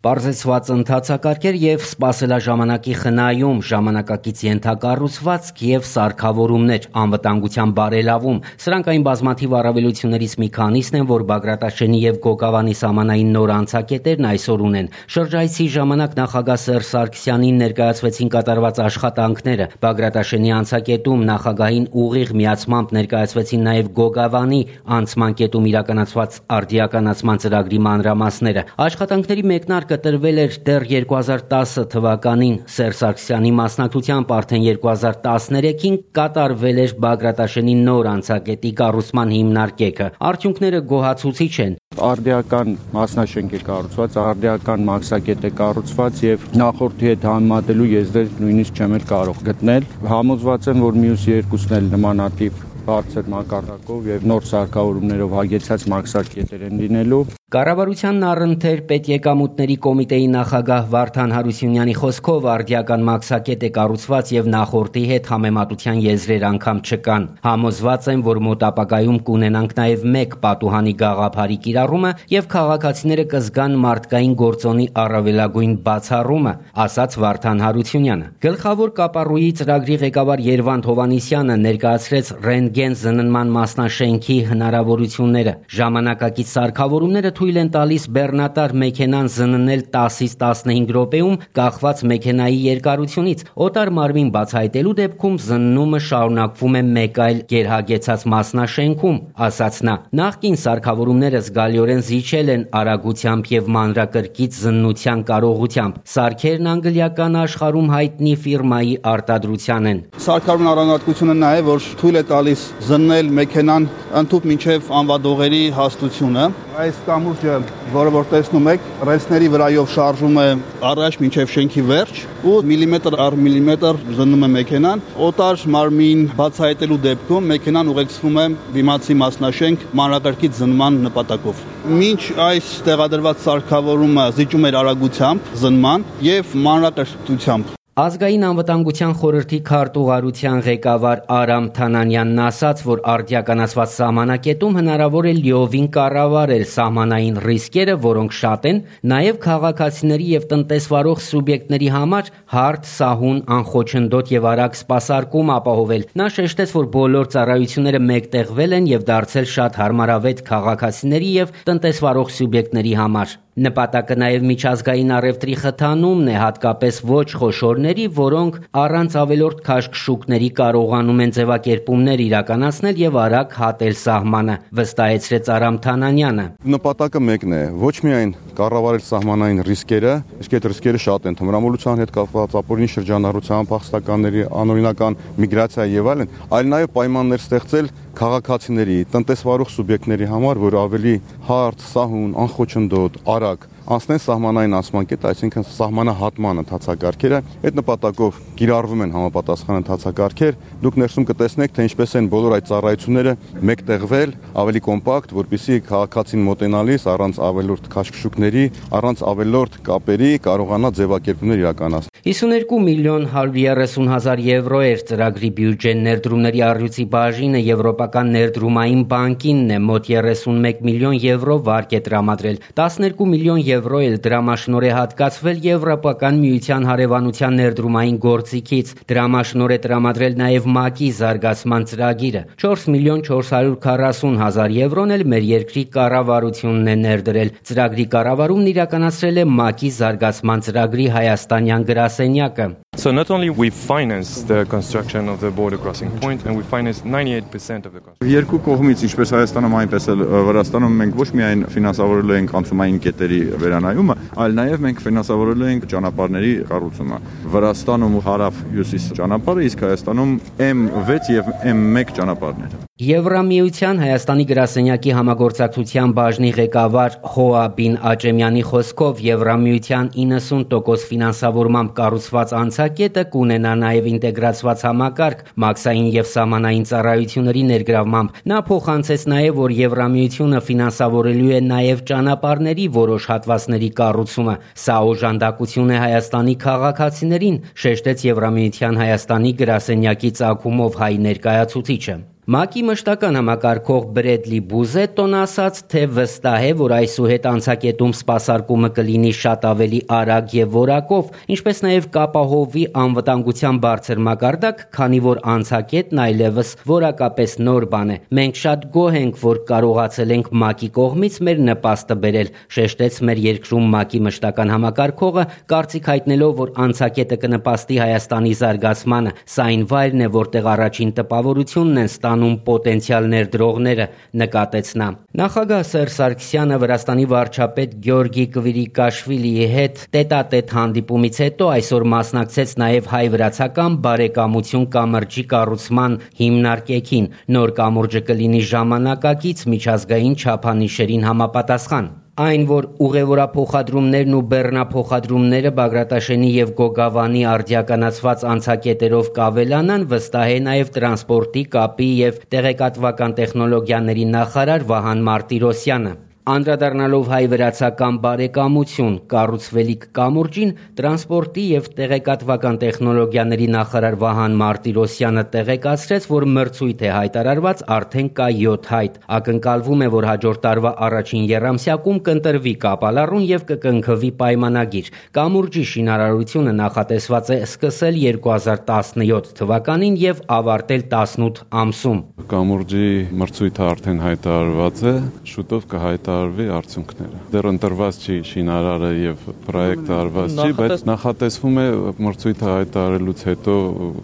Պարզեցված ընթացակարգեր եւ սպասելաժամանակի խնայում, ժամանակակից ենթակառուցվածք եւ սարքավորումներ, անվտանգության բարելավում։ Սրանք այն բազմաթիվ առավելություններից մի քանիսն են, որ Բագրատաշենի եւ Գոգավանի սահմանային նոր անցակետերն այսօր ունեն։ Շրջայցի ժամանակ նախագահ Սերժ Սարգսյանին ներկայացվեցին կատարված աշխատանքները։ Բագրատաշենի անցակետում նախագահին ուղիղ միացմամբ ներկայացվեցին նաեւ Գոգավանի անցման կետում իրականացված արդիականացման ծրագրի մանրամասները։ Աշխատանքների մեկնարկը տրվել էր դեռ 2010 թվականին Սերժ Սարգսյանի մասնակցությամբ արդեն 2013-ին կատարվել էր Բագրատաշենի նոր անցակետի կառուցման հիմնարկեքը։ Արդյունքները գոհացուցիչ են։ Արդիական մասնաշենք է կառուցված, արդիական մաքսակետ է կառուցված եւ նախորդի հետ համեմատելու եզրեր նույնիսկ չեմ կարող գտնել։ Համոզված եմ, որ մյուս երկուսն էլ նմանատիպ բարձր մակարդակով եւ նոր սարքավորումներով հագեցած մաքսակետեր են լինելու։ Կառավարությանն առընթեր պետեկամուտների կոմիտեի նախագահ Վարդան Հարությունյանի խոսքով արդիական մաքսակետ է կառուցված եւ նախորդի հետ համեմատության եզրեր անգամ չկան։ Համոզված են, որ մոտ ապագայում կունենանք նաեւ մեկ պատուհանի գաղափարի կիրառումը եւ քաղաքացիները կզգան մարդկային գործոնի առավելագույն բացառումը, ասաց Վարդան Հարությունյանը։ Գլխավոր կապառուի ծրագրի ղեկավար Երվանդ Հովանիսյանը ներկայացրեց ռենտգեն զննման մասնաշենքի հնարավորությունները։ Ժամանակակից սարքավորումները թույլ են տալիս բեռնատար մեքենան զննել 10-ից 15 րոպեում կախված մեքենայի երկարությունից։ Օտար մարմին բացահայտելու դեպքում զննումը շարունակվում է մեկ այլ գերհագեցած մասնաշենքում, ասաց նա։ Նախկին սարքավորումները զգալիորեն զիջել են արագությամբ եւ մանրակրկիտ զննության կարողությամբ։ Սարքերն անգլիական աշխարհում հայտնի ֆիրմայի արտադրության են։ Սարքավորման առանձնահատկությունը նա է, որ թույլ է տալիս զննել մեքենան ընդհուպ մինչև անվադողերի հաստությունը։ Այս կամուրջը, որը որ տեսնում եք, ռելսների վրայով շարժում է առաջ մինչև շենքի վերջ ու միլիմետր առ միլիմետր զննում է մեքենան։ Օտար մարմին բացահայտելու դեպքում մեքենան ուղեկցվում է դիմացի մասնաշենք մանրակրկիտ զննման նպատակով։ Մինչ այս տեղադրված սարքավորումը զիջում էր արագությամբ զննման եւ մանրակրկիտությամբ։ Ազգային անվտանգության խորհրդի քարտուղարության ղեկավար Արամ Թանանյանն ասաց, որ արդիականացված սահմանակետում հնարավոր է լիովին կառավարել սահմանային ռիսկերը, որոնք շատ են, նաև քաղաքացիների եւ տնտեսվարող սուբյեկտների համար հարթ, սահուն, անխոչնդոտ եւ արագ սպասարկում ապահովել։ Նա շեշտեց, որ բոլոր ծառայությունները մեկտեղվել են եւ դարձել շատ հարմարավետ քաղաքացիների եւ տնտեսվարող սուբյեկտների համար։ Նպատակը նաև միջազգային առևտրի խթանումն է, հատկապես ոչ խոշորների, որոնք առանց ավելորդ քաշքշուկների կարողանում են ձևակերպումներ իրականացնել եւ արագ հատել սահմանը, վստահեցրեց Արամ Թանանյանը։ Նպատակը մեկն է, ոչ միայն կառավարել սահմանային ռիսկերը, իսկ այդ ռիսկերը շատ են, թմրամոլության հետ կապված, ապօրինի շրջանառության, փախստականների, անօրինական միգրացիայի եւ այլն, այլ նաև պայմաններ ստեղծել քաղաքացիների, տնտեսվարող սուբյեկտների համար, որ ավելի հարթ, սահուն, անխոչնդոտ, արագ անցնեն սահմանային անցման կետը, այսինքն սահմանահատման ընթացակարգերը, այդ նպատակով կիրառվում են համապատասխան ընթացակարգեր։ Դուք ներսում կտեսնեք, թե ինչպես են բոլոր այդ ծառայությունները մեկտեղվել, ավելի կոմպակտ, որպեսզի քաղաքացին մոտենալիս առանց ավելորդ քաշքշուկների, առանց ավելորդ կապերի կարողանա ձևակերպումներ իրականացնել։ 52 միլիոն 130 հազար եվրո էր ծրագրի բյուջեն ներդրումների առյուծի բաժինը Եվրոպական ներդրումային բանկինն է մոտ 31 միլիոն եվրո վարկ է տրամադրել, 12 միլիոն եվրո էլ դրամաշնոր է հատկացվել Եվրոպական միության հարևանության ներդրումային գործիքից, դրամաշնոր է տրամադրել նաև ՄԱԿ-ի զարգացման ծրագիրը, 4 միլիոն 440 հազար եվրոն էլ մեր երկրի կառավարությունն է ներդրել, ծրագրի կառավարումն իրականացրել է ՄԱԿ-ի զարգացման ծրագրի հայաստանյան գրասենյակը։ So not only we finance the construction of the border crossing point and we finance 98% of the cost. Երկու կողմից, ինչպես Հայաստանում, այնպես էլ Վրաստանում մենք ոչ միայն ֆինանսավորելու ենք անցումային կետերի վերանայումը, այլ նաև մենք ֆինանսավորելու ենք ճանապարհների կառուցումը։ Վրաստանում հարավ-հյուսիս ճանապարհը, իսկ Հայաստանում M6 եւ M1 ճանապարհները։ Եվրամիության Հայաստանի գրասենյակի համագործակցության բաժնի ղեկավար Հոա Բին Աճեմյանի խոսքով Եվրամիության 90% ֆինանսավորմամբ կառուցված անցակետը կունենա նաև ինտեգրացված համակարգ մաքսային եւ սահմանային ծառայությունների ներգրավմամբ։ Նա փոխանցեց նաև, որ Եվրամիությունը ֆինանսավորելու է նաև ճանապարհների որոշ հատվածների կառուցումը։ Սա օժանդակություն է Հայաստանի քաղաքացիներին, շեշտեց Եվրամիության Հայաստանի գրասենյակի ծագումով հայ ներկայացուցիչը։ ՄԱԿ-ի մշտական համակարգող Բրեդլի Բուզետտոն ասաց, թե վստահ է, որ այսուհետ անցակետում սպասարկումը կլինի շատ ավելի արագ եւ որակով, ինչպես նաեւ կապահովի անվտանգության բարձր մակարդակ, քանի որ անցակետն այլևս որակապես նոր բան է։ Մենք շատ գոհ ենք, որ կարողացել ենք ՄԱԿ-ի կողմից մեր նպաստը բերել, շեշտեց մեր երկրում ՄԱԿ-ի մշտական համակարգողը, կարծիք հայտնելով, որ անցակետը կնպաստի Հայաստանի զարգացմանը, սա այն վայրն է, որտեղ առաջին տպավորությունն են ստանում պոտենցիալ ներդրողները, նկատեց նա։ Նախագահ Սերժ Սարգսյանը Վրաստանի վարչապետ Գյորգի Կվիրիկաշվիլիի հետ տետատետ հանդիպումից հետո այսօր մասնակցեց նաև հայ-վրացական բարեկամություն կամրջի կառուցման հիմնարկեքին։ Նոր կամուրջը կլինի ժամանակակից միջազգային չափանիշերին համապատասխան։ Այն, որ ուղևորափոխադրումներն ու բեռնափոխադրումները Բագրատաշենի եւ Գոգավանի արդիականացված անցակետերով կավելանան, վստահ է նաեւ տրանսպորտի, կապի եւ տեղեկատվական տեխնոլոգիաների նախարար Վահան Մարտիրոսյանը։ Անդրադառնալով հայ-վրացական բարեկամություն կառուցվելիք կամուրջին, տրանսպորտի եւ տեղեկատվական տեխնոլոգիաների նախարար Վահան Մարտիրոսյանը տեղեկացրեց, որ մրցույթ է հայտարարված, արդեն կա 7 հայտ։ Ակնկալվում է, որ հաջորդ տարվա առաջին եռամսյակում կընտրվի կապալառուն եւ կկնքվի պայմանագիր։ Կամուրջի շինարարությունը նախատեսված է սկսել 2017 թվականին եւ ավարտել 18 ամսում։ Կամուրջի մրցույթը արդեն հայտարարված է, շուտով կհայտարարվի արդյունքները։ Դեռ ընտրված չի շինարարը եւ պրոյեկտը արված չի, բայց նախատեսվում է մրցույթը հայտարարելուց հետո,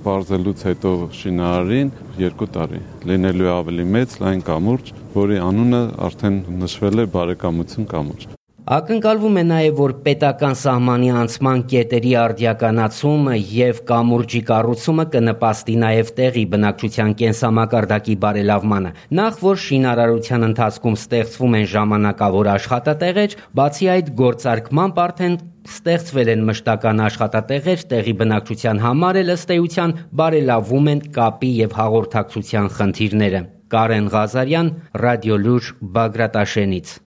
բարձելուց հետո շինարարին 2 տարի լինելու է ավելի մեծ լայն կամուրջ, որի անունը արդեն նշվել է բարեկամություն կամուրջ։ Ակնկալվում է նաև, որ պետական սահմանի անցման կետերի արդիականացումը եւ կամուրջի կառուցումը կնպաստի նաև տեղի բնակչության կենսամակարդակի բարելավմանը։ Նախ որ շինարարության ընթացքում ստեղծվում են ժամանակավոր աշխատատեղեր, բացի այդ գործարկմամբ արդեն ստեղծվել են մշտական աշխատատեղեր, տեղի բնակչության համար էլ ըստ էության բարելավում են կապի եւ հաղորդակցության խնդիրները։ Կարեն Ղազարյան, Ռադիոլուր, Բագրատաշենից։